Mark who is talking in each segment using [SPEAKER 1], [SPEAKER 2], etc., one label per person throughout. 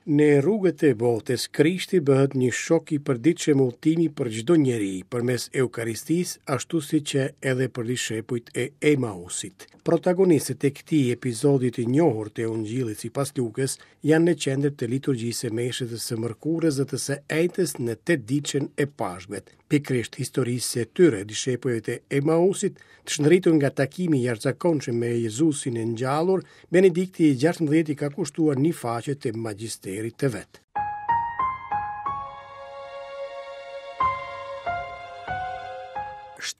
[SPEAKER 1] Në rrugët e botës, Krishti bëhet një shok i përditshëm udhëtimi për çdo njeri, përmes Eukaristisë, ashtu siç qe edhe për dishepujt e Emausit. Protagonistët e këtij episodi të njohur të Ungjillit sipas Lukës janë në qendër të liturgjisë së meshës të së mërkurës dhe të së enjtes në tetëditëshen e Pashkëve. Pikërisht historisë së tyre, dishepujve të Emausit, të shndritur nga takimi i jashtëzakonshëm me Jezusin e ngjallur, Benedikti i XVI i ka kushtuar një faqe të magjisterit të vet.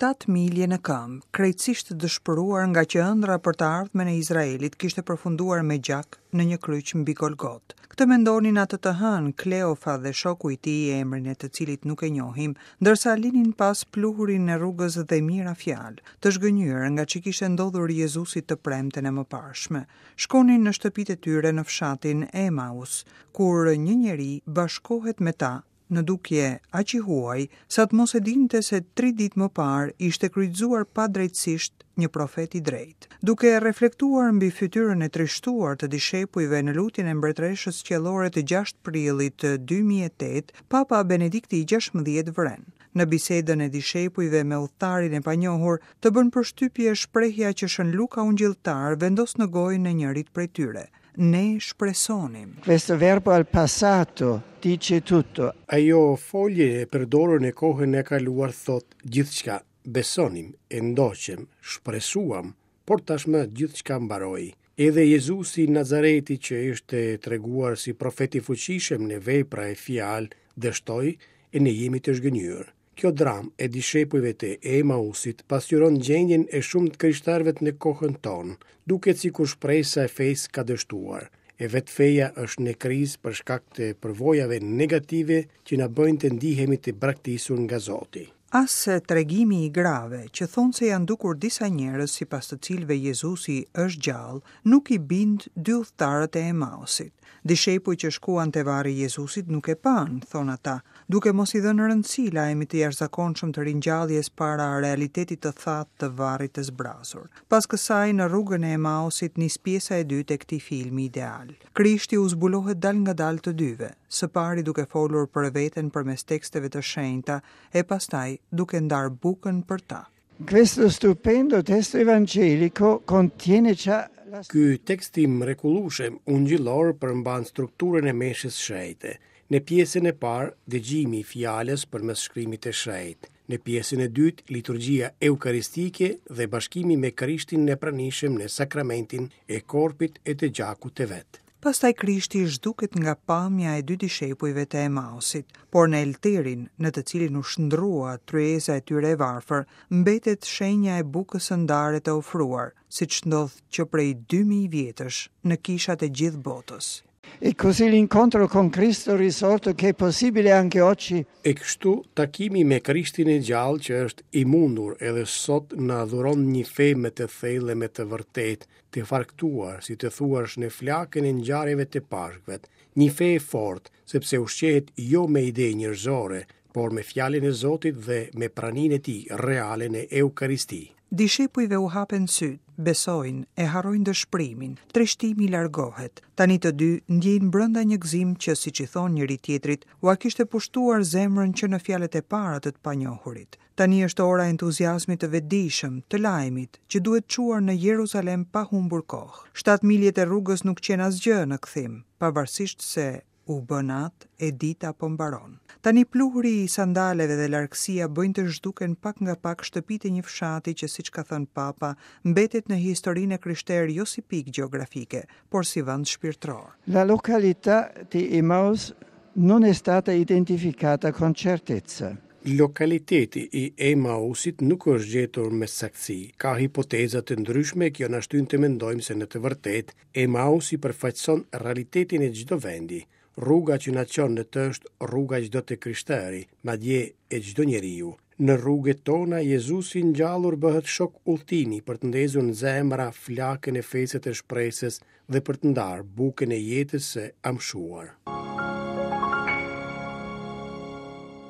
[SPEAKER 2] 7 milje në këmbë, krejtësisht të dëshpëruar ngaqë ëndrra për të ardhmen e Izraelit kishte përfunduar me gjak në një kryq mbi Golgotë. Këtë mendonin atë të hënë Kleofa dhe shoku i tij, emrin e të cilit nuk e njohim, ndërsa linin pas pluhurin e rrugës dhe mijëra fjalë, të zhgënjyer nga ç'i kishte ndodhur Jezusit të premten e mëparshme. Shkonin në shtëpitë e tyre në fshatin Emaus, kur një njeri bashkohet me ta në dukje aq i huaj, sa të mos e dinte se tri ditë më parë ishte kryqëzuar padrejtësisht një profet i drejtë. Duke reflektuar mbi fytyrën e trishtuar të dishepujve në lutjen e Mbretëreshës Qiellore të 6 prillit 2008, Papa Benedikti i XVI vëren, Në bisedën e dishepujve me udhëtarin e panjohur, të bën përshtypje shprehja që Shën Luka Ungjilltar vendos në gojën e njërit prej tyre. Ne shpresonim.
[SPEAKER 3] Questo verbo al passato dice tutto.
[SPEAKER 1] Ajo folje e përdorur në kohën e kaluar thotë gjithçka. Besonim, e ndoqëm, shpresuam, por tashmë gjithçka mbaroi. Edhe Jezusi i Nazaretit që ishte treguar si profet i fuqishëm në vepra e fjalë, dështoi e ne jemi të zhgënjyer. Kjo dramë e dishepujve të Emausit pasqyron gjendjen e shumë të krishterëve në kohën tonë. Duket sikur shpresa e fesë ka dështuar. E vetë feja është në krizë për shkak të përvojave negative që na bëjnë të ndihemi të braktisur nga Zoti.
[SPEAKER 2] As tregimi i grave, që thonë se janë dukur disa njerëz sipas të cilëve Jezusi është gjallë, nuk i bind dy udhëtarët e Emausit. Dishepujt që shkuan te varri i Jezusit nuk e panë, thonë ata, duke mos i dhënë rëndësi lajmit të jashtëzakonshëm të ringjalljes para realitetit të thatë të varrit të zbrazur. Pas kësaj, në rrugën e Emausit nis pjesa e dytë e këtij filmi ideal. Krishti u zbulohet dalëngadalë të dyve, së pari duke folur për veten përmes teksteve të shenjta e pastaj duke ndarë bukën për ta.
[SPEAKER 3] Questo stupendo testo evangelico contiene già
[SPEAKER 1] la Ky tekst i mrekullueshëm ungjillor përmban strukturën e meshës shenjte. Në pjesën e parë, dëgjimi i fjalës përmes shkrimit të shenjtë. Në pjesën e dytë, liturgjia eukaristike dhe bashkimi me Krishtin e pranishëm në sakramentin e korpit e të gjakut të vet.
[SPEAKER 2] Pastaj Krishti zhduket nga pamja e dy dishepujve të Emausit, por në elterin, në të cilin u shndërrua tryeza e tyre e varfër, mbetet shenja e bukës së ndarë e të ofruar, siç ndodh që prej 2000 vjetësh në kishat e gjithë botës.
[SPEAKER 3] E così l'incontro con Cristo risorto che è possibile anche oggi.
[SPEAKER 1] E kështu, takimi me Krishtin e gjallë që është i mundur edhe sot na dhuron një fe më të thellë e më të vërtetë, të farkëtuar, si të thuash në flakën e ngjarjeve të Pashkëve. Një fe e fortë, sepse ushqehet jo me ide njerëzore, por me fjalën e Zotit dhe me praninë e tij reale në Eukaristi.
[SPEAKER 2] Dishepujve u hapen sytë, besojnë, e harrojnë dëshpërimin, trishtimi largohet. Tani të dy ndjejnë brenda një gëzim që, siç i thonë njëri-tjetrit, ua kishte pushtuar zemrën që në fjalët e para të të panjohurit. Tani është ora e entuziazmit të vetëdijshëm, të lajmit, që duhet çuar në Jeruzalem pa humbur kohë. Shtatë miljet e rrugës nuk qenë asgjë në kthim, pavarësisht se U bë natë e dita po mbaron. Tani pluhuri i sandaleve dhe largësia bëjnë të zhduken pak nga pak shtëpitë e një fshati që siç ka thënë Papa, mbetet në historinë e krishterë jo si pikë gjeografike, por si vend shpirtëror.
[SPEAKER 3] La località di Emmaus non è stata identificata con certezza.
[SPEAKER 1] Lokaliteti i Emausit nuk është gjetur me saktësi. Ka hipoteza të ndryshme, kjo na shtyn të mendojmë se në të vërtetë Emausi përfaqëson realitetin e çdo vendi. Rruga që na çon në të është rruga e çdo të krishteri, madje e çdo njeriu. Në rrugët tona Jezusi i ngjallur bëhet shok udhëtimi për të ndezur në zemra flakën e fesë të shpresës dhe për të ndarë bukën e jetës së amshuar.